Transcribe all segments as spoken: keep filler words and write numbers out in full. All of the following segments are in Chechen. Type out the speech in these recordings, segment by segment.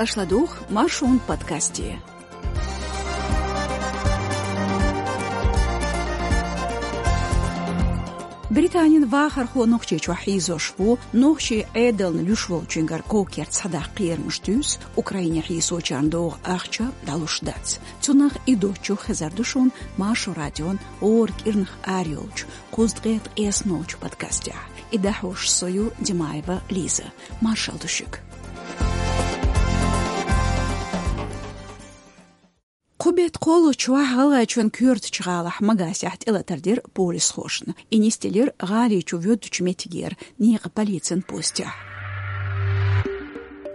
Аша ладугӀу Маршон подкасте. Британин вахархо Нохчийчохь хьийзош ву, нохчийн Ӏедална луш волчуьнгара ков-керт схьадаккха кхерамаш дуьйцу, Украине хьийсочарна догӀу ахча дӀалуш дац. Цунах и доцчух хезар ду шуна Маршо радион гӀора кӀирнах арайолчу кхузткъе ткъеснолчу подкастехь. И дӀахьош со ю, Димаева Лиза. Маршалла ду шуьга. Кху беттан кхоалгӀачу шарахь ГӀалгӀайчоьнан коьртачу гӀалахь Магасехь тӀелатар дира полисхошна. И нисделира гӀали чу воьдучу меттигера некъан полицин постехь.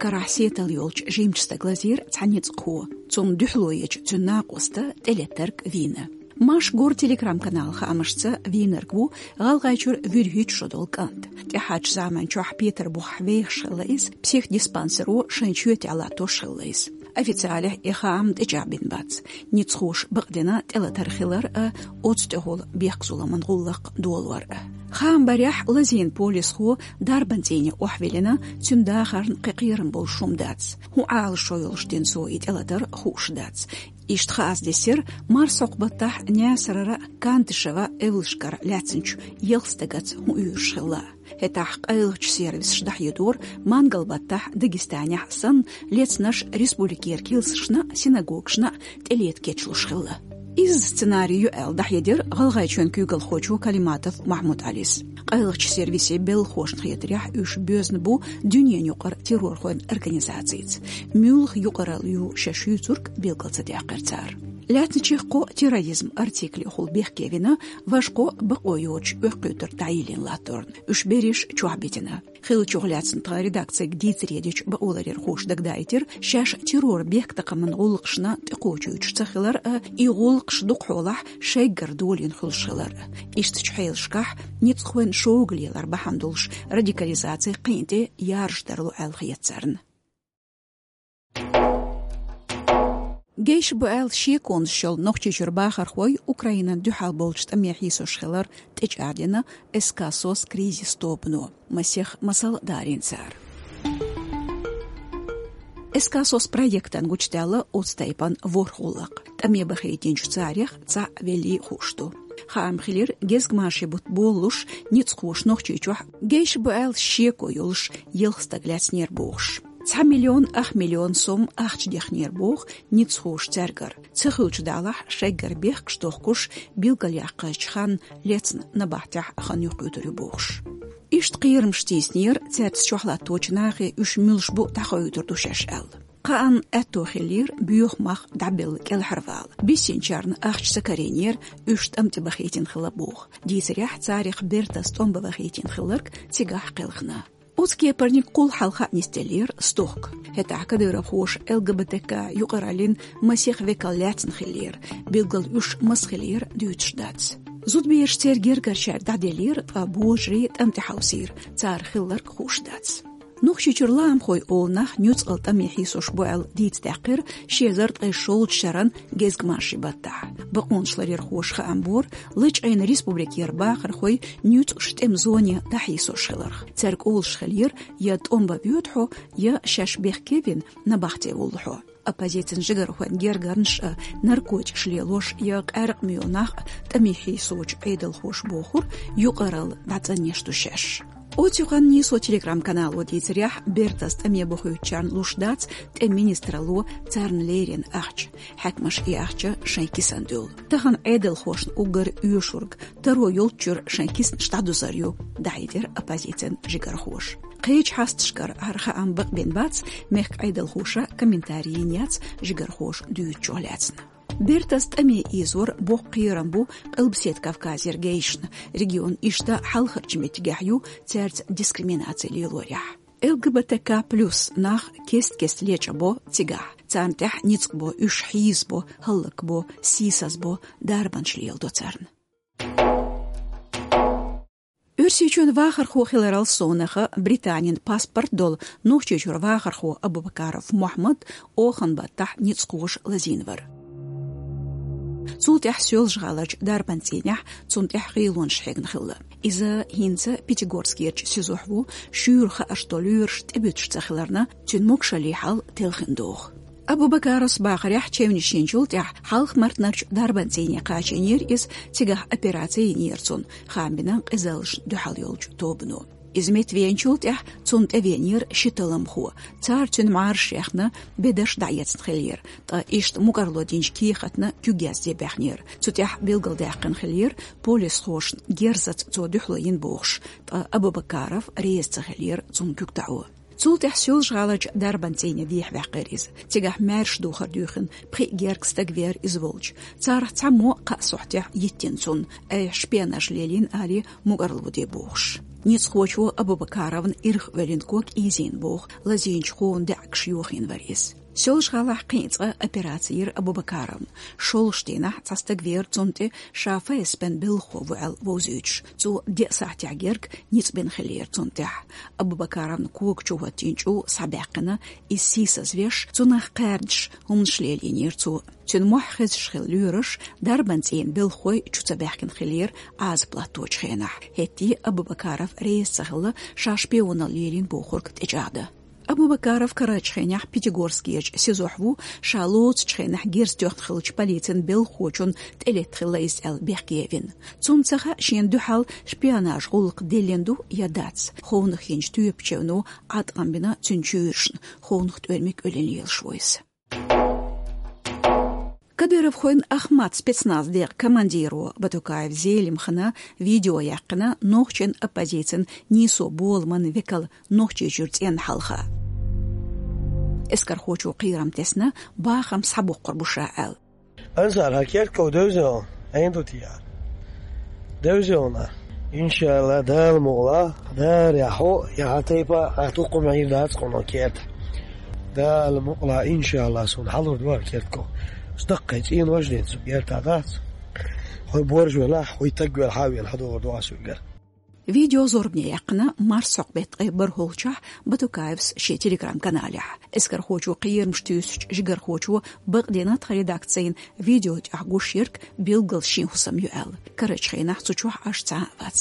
Карахь сетал йолчу жимачу стага лазийра цхьа ницкъахо. Цунна дуьхьало ечу цуьнан накъоста тӀелеттарг вийна. Маршо гӀора телеграм-каналан хаамашца, вийнарг ву ГӀалгӀайчуьра вуьрхӀитта шо долу кӀант. ТӀаьхьарчу заманчохь Петарбухехь вехаш хилла иза, психдиспансеро шайн чоьтехь латтош хилла иза. Официалехь и хаам тӀечӀагӀбина бац. Ницкъахоша бакъдина тӀелатар хилар а, оцу тӀехула бехк-зуламан гӀуллакх долор а. Хаам барехь, лазийна полисхо дарбан цӀийне охьавиллина, цуьнан дахарна кхин кхерам болуш хӀума дац. ХӀун Ӏалашо йолуш дина цо и тӀелатар, хууш дац. Иштта хаза дисира, марсхьокху баттахь Наьсарара Кантышева эвлашкара лаьцначу ялх стагаца хӀун уьйраш хилла. ХӀетахь къайлахчу сервисаша дӀахьедора, мангал баттахь Дагестанехь санна, лецнаш республикера килсашна а, синагогашна а тӀелета кечлуш хилла. Изза сценарий ю аьлла дӀахьедира ГӀалгӀайчоьнан куьйгалхочо Калиматов Махьмуд-Ӏалис. Къайлахчу сервисийн белхалошна хетарехь, уьш боьзна бу дуьненан юкъара террорхойн организацица. Муьлха юкъаралла ю шаьш юьйцург билгал ца даьккхира цара. Лаьцначех кхо терроризм артиклехула бехке вина, важа кхо бакъо йоцуш оьккхуьйтур дӀайиллина латторна. Уьш берриш чохь битина. Хиллачух лаьцна тхан редакцига дийцаре дечу бакъоларъярхоша дагадаийтира, шаьш террор-бехктакхаман гӀуллакхашна тӀекхочуьйтуш ца хилар а, и гӀуллакхаш дукхахьолахь шайггара долийна хуьлуш хилар а. Ишттачу хьелашкахь ницкъахойн шога лелар бахьана долуш радикализаци кхин а тӀе яржадарло аьлла хета царна. Гейша бу аьлла шеконаш йолу Нохчийчуьра бахархой Украинан дуьхьал болчу тӀаме хьийсош хилар тӀечӀагӀдина СК «СОС» кризис тобано. Масех масал дарийна цара. СК «СОС» проектан гучудаьлла оцу тайпана ворхӀ гӀуллакх. ТӀаме бахийтинчу царех цхьаъ веллий хууш ду. Хаам хилира, гезгмашин бутт болалуш, ницкъахоша Нохчийчохь гейша бу аьлла шеко йолуш ялх стаг лаьцнера бохуш. Цхьа миллион ах миллион сом ахча дехнера боху ницкъахоша цаьргара. Ца хуьлучу далахь, шайггара бехкаш дохкуш, билгалъяккхазчу ханна лецна набахтехь хан юхкуьйтур ю бохуш. Иштта кхерамаш тийсинера, цаьрца чохь латточу нахе уьш муьлш бу дӀахоуьйтур ду шаьш аьлла. Кхаанна аьтто хиллера боьха мах дӀабелла кӀелхьарвала. Биссинчарна ахча ца карийнера, уьш тӀам тӀе бахийтина хилла боху. Дийцарехь, царах бертас тӀом бан бахийтина хилларг цигахь кхелхина. Оцу кепарниг кхул хьалха а нисделлера стохка. ХӀетахь кадыровхоша ЛГБТК юкъараллин масех векал лаьцна хиллера, билггал уьш маса хиллера дуьйцуш дац. Зудбераш церан гергарчаьрга дӀаделлера, ткъа божарий тӀам тӀе хьовсийра, цара хилларг хууш дац. Нохчийчуьра лаамхой олу нах нуьцкъала тӀаме хьийсош бу аьлла дийца даьккхира ши эзар ткъе шолгӀачу шаран гезгмашин баттахь. Бакъонашларъярхоша хаам бора, лачкъийна республикера бахархой нуьцкъаш тӀеман зоне дӀахьийсош хиларх. Цаьрга олуш хиллера, я тӀом бан воьду хьо, я шаьш бехке вина набахте воллу хьо. Оппозицин жигархойн гергарнаш а, наркотикаш лелош я къаьркъа муьйлу нах а тӀаме хьийсочу Ӏедалхоша бохура, юкъаралла дӀацӀанъеш ду шаьш. Оцу юкъанна нийсо телеграм-канало дийцарехь, бертас тӀаме бахуьйтучарна луш дац тӀеман министралло царна леррина ахча. Хьаькамаша и ахча шайн кисана дуьллу. Тахана Ӏедалхошна уггар оьшург таро йолччуьра шайн киснаш дӀадузар ю, дӀахьедира оппозицин жигархоша. Кхечу хьасташкара хӀара хаам бакъбина бац, мехкан Ӏедалхоша комментарий йина яц жигархоша дуьйцучух лаьцна. Бертас тӀаме ийзор боккха кхерам бу Къилбаседа Кавказера гейшна, регион иштта хьалхарчу меттигехь ю цаьрца дискриминаци лелорехь. ЛГБТК плюс нах кест-кеста лечкъабо цигахь. Царна тӀехь ницкъ бо, уьш хьийзабо, хӀаллакбо, сийсазбо, дарбанаш леладо царна. Оьрсийчоьнан вахархо хиларал совнаха Британин паспорт долу Нохчийчуьра вахархо Абубакаров Мухьаммад оханан баттахь ницкъахоша лазийна вара. Цул тӀаьхьа Соьлжа-ГӀаларчу дарбан цӀийнехь цунна тӀехь гӀийлонаш хьегна хилла. Иза хӀинца Пятигорскерчу СИЗО-хь ву, шуьйра хаарш долу лоьраш тӀебуьтуш ца хиларна, цуьнан могушаллин хьал телхина догӀу. Абубакаровс бахарехь, чевнаш йинчул тӀаьхьа Хьалха-Мартанарчу дарбан цӀийне кхачийнера иза, цигахь операци йинера цунна, хаам бина къизаллашна дуьхьал йолчу тобано. Иза меттавеанчул тӀаьхьа цунна тӀевеанера ши талламхо. Цара цуьнан мӀараш яьхна, бедарш дӀаэцна хиллера, ткъа иштта мукӀарло динчу кехатна куьг язде баьхнера. Цу тӀехь билгалдаьккхина хиллера, полисхошна герзаца цо дуьхьало йина бохуш, ткъа Абубакаров реза ца хиллера цунна куьг таӀо. Цул тӀаьхьа Соьлжа-ГӀаларчу дарбан цӀийне дехьаваьккхира иза. Цигахь маьрша духар дуьйхина, пхиъ гергга стаг веара иза волчу. Царах цхьаммо кхаа сохьтехь йиттина цунна, айхьа шпионаж лелийна алий, мукӀарло де бохуш. Ницкъахочо Абубакаровна ирх а воьллина ког ийзийна боху, лазийначу хуунан даьӀахкаш йохийна вара иза. Соьлжа-ГӀалахь кхин а цкъа операци йира Абубакаровна. ШолгӀачу дийнахь цхьа стаг веара цунна тӀе, ша ФСБ-н белхахо ву аьлла вовзуьйтуш. Цо деа сахьтехь герга ницкъ бина хиллера цунна тӀехь. Абубакаровна кога чу хӀоттийна чӀу схьабаьккхина, иза сийсазвеш, цунах кхаьрдаш хӀуманаш лелийнера цо. Цуьнан мохь хезаш хилла лоьраш, дарбан цӀийнан белхахой чу ца баьхкина хиллера Ӏазап латточу хенахь. ХӀетте Абубакаров реза ца хилла, ша шпионал лелийна бохург тӀечӀагӀдан. Абубакаров карарчу хенахь Пятигорскерчу СИЗО-хь ву, ша лоцучу хенахь герз тоьхна хиллачу полицин белхахочунна тӀелетта хилла иза аьлла бехке а вина. Цунна ца хаьа, шена дуьхьал шпионаж гӀуллакх деллина ду я дац. Ховнах йинчу тоьпан чевно Ӏаткъам бина цуьнан чуьйрашна, ховнах тӀоьрмиг а оьллина лелаш ву иза. Кадыровхойн «Ахмат» спецназ декъан командиро Батукаев Зелимхана видео яьккхина нохчийн оппозицин нийсо боламан векал Нохчийчуьра цӀенна хьалха. Эскархочо кхерам тесна, бахам схьабоккхур бу ша аьлла. Ансар, хьан керт ков девза хьо, Ӏен ду те яра? Девза хьуна. Иншалла, Дала мукъалахь, Дала яхьо, я хьан тайпа, хьан тукхум Ӏийр дац кхуно керта. Дала мукъалахь, иншалла, суна хьалур ду хьан керт ков. Стаккхай цӀенош ден цу керта дац. Хой борж велахь, хой таг велахь, хьан велахь, хьадогӀур ду ас уьгар. Видео зорбане яьккхина марсхьокху беттан ткъе бархӀолгӀачохь Батукаевс шен Telegram-каналехь. Эскархочо кхерамаш туьйсучу жигархочо бакъдина тхан редакцина видео тӀехь гуш ерг билггал шен хӀусам ю аьлла. Карарчу хенахь цу чохь Ӏаш цхьа а вац.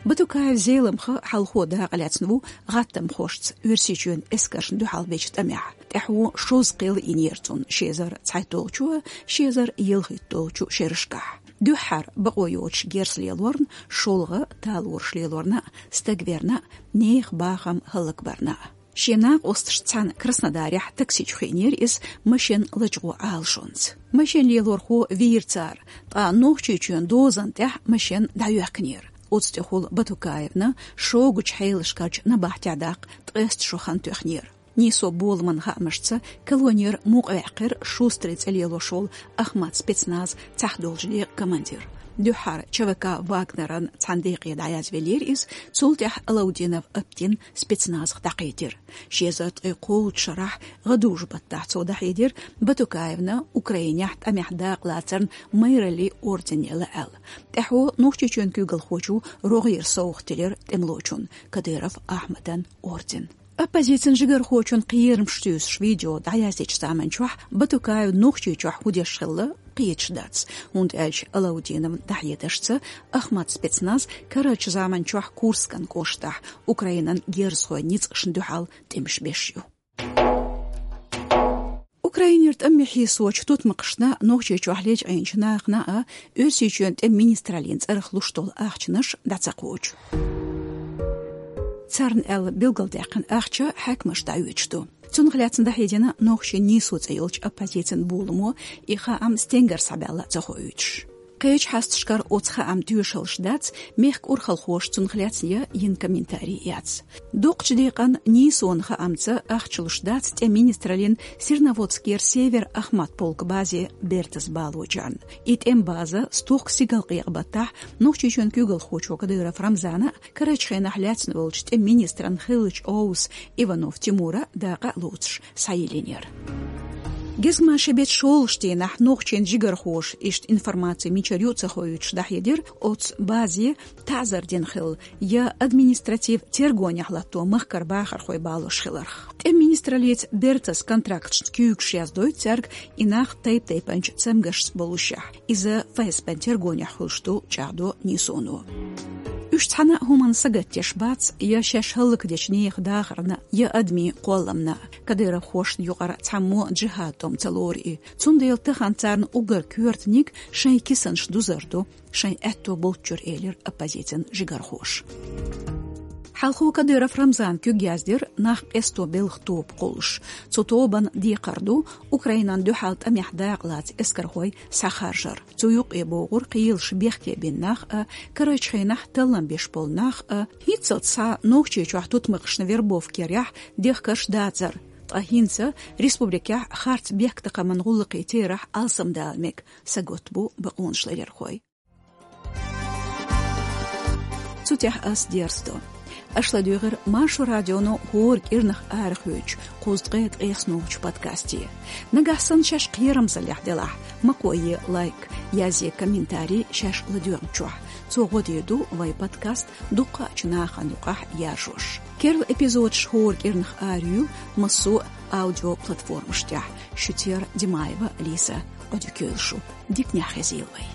Батукаев Зелимха хьалхо дакъа лаьцна ву гӀаттамхошца Оьрсийчоьнан эскаршна дуьхьал бечу тӀамехь. ТӀаьхьо шозза кхел йинера цунна ши эзар цхьайтталгӀачу, ши эзар ялхитталгӀачу шерашкахь. Дуьххьара бакъо йоцуш герз лелорна, шолгӀа талораш лелорна, стаг верна, нехан бахам хӀаллакбарна. Шен накъосташца цхьаьна Краснодарехь такси чу хиънера иза машен лачкъо Ӏалашонца. Машен лелорхо вийра цара, ткъа Нохчийчоьнан дозан тӀехь машен дӀайоьхкинера. Оцу тӀехула Батукаевна шогачу хьелашкарчу набахтехь даккха ткъеста шо хан тоьхнера. Нийсо боламан хаамашца, колонера мукъаваьккхира Шустрин цӀе лелош волу «Ахмат» спецназ цхьахдолчу декъан командир. Дуьххьара ЧВК «Вагнеран» цхьана декъе дӀаязвеллера иза, цул тӀаьхьа Алаудинов Аптин спецназах дӀакхийтира. Ши эзар ткъе кхоалгӀачу шарахь гӀадужу-баттахь цо дӀахьедира Батукаевна Украинехь тӀамехь дакъа лацарна майраллин орден елла аьлла. ТӀаьхьо Нохчийчоьнан куьйгалхочо рогӀера совгӀат делира тӀемалочунна, Кадыров Ахьмадан орден. Оппозицин жигархочун кхерамаш туьйсуш видео дӀаяздечу заманчохь Батукаев Нохчийчохь хӀун деш хилла кхеташ дац, хӀунда аьлча Алаудиновна дӀахьедашца, «Ахмат» спецназ карарчу заманчохь Курскан кӀоштахь Украинан герзахойн ницкъашна дуьхьал тӀемаш беш ю. Украинера тӀамехь хьийсочу тутмакхашна Нохчийчохь лечкъийначу нахана а Оьрсийчоьнан тӀеман министраллин цӀарах луш долу ахчанаш дӀа ца кхочу. Царна аьлла билгалдаьккхина ахча хьаькамаша дӀаоьцуш ду. Цунах лаьцна дӀахьедина нохчийн «Нийсо» цӀе йолчу оппозицин боламо, и хаам стенгара схьабаьлла ца хоуьйтуш. Кхечу хьасташкара оцу хааман тоьшаллаш дац, мехкан урхалхоша цунах лаьцна йина комментарий яц. Дукхачу декъан «Нийсонан» хаамца ахча луш дац тӀеман министраллин Серноводскера «Север» Ахмат полкан базе бертаза балочарна. И тӀеман база стохка стигалкъекъа-баттахь Нохчийчоьнан куьйгалхочо Кадыров Рамзана а, карарчу хенахь лаьцна волчу тӀеман министран хиллачу овса Иванов Тимура а дакъа а лоцуш схьайиллинера. Гезгмашин бетта шолгӀачу дийнахь нохчийн жигархоша, иштта информаци мичара ю а ца хоуьйтуш, дӀахьедира, оцу базе таӀзар дина хилла, я административ тергонехь латто махкара бахархой балош хиларх. ТӀеман министраллица бертас контракташна куьйгаш яздойту цаьрга, и нах тайп-тайпанчу цамгаршца болушехь. Иза ФСБ-н тергонехь хуьлуш ду, чӀагӀдо Нийсоно. Уьш цхьана а хӀуманна сагатдеш бац, я шаьш хӀаллакдечу нехан дахарна, я адамийн кхолламна. Кадыровхошна юкъара цхьаммо джихад тӀом ца лору и. Цундела тахана царна уггар коьртаниг шайн кисанаш дузар ду, шайн аьтто болччуьра, элира оппозицин жигархоша. Хьалхо Кадыров Рамзана куьг яздира нах къесто белхан тоба кхуллуш. Цу тобанна декхар ду Украинан дуьхьал тӀамехь дакъалаца эскархой схьахаржар. Цу юкъе богӀура кхелаш бехке бина нах а, карарчу хенахь таллам беш болу нах а. ХӀинццалц схьа Нохчийчохь тутмакхашна вербовка ярехь дехкарш дацара, ткъа хӀинца республикехь харц бехктакхаман гӀуллакхийн терахь алсамдала мега, сагатбо бакъонаш ларъярхой. Цу тӀехь ас дерзадо. Аша ладуьйгӀира Маршо радионо хӀора кӀирнах арахоьцучу кхузткъе ткъеснолгӀачу подкасте. Нагахь санна шаьш кхерамзаллехь делахь, ма кхое лайк, язъе комментарий шаьш ладоьгӀначохь. Цо гӀо дийр ду вайн подкаст дуккхаъчу нахана юкъахь яржош. Керла эпизодаш хӀора кӀирнах араюьйлу массо а аудиоплатформаш тӀехь. Шуьца яра Димаева Лиза. Ӏодика йойла шу. Диканехь хезийла вай.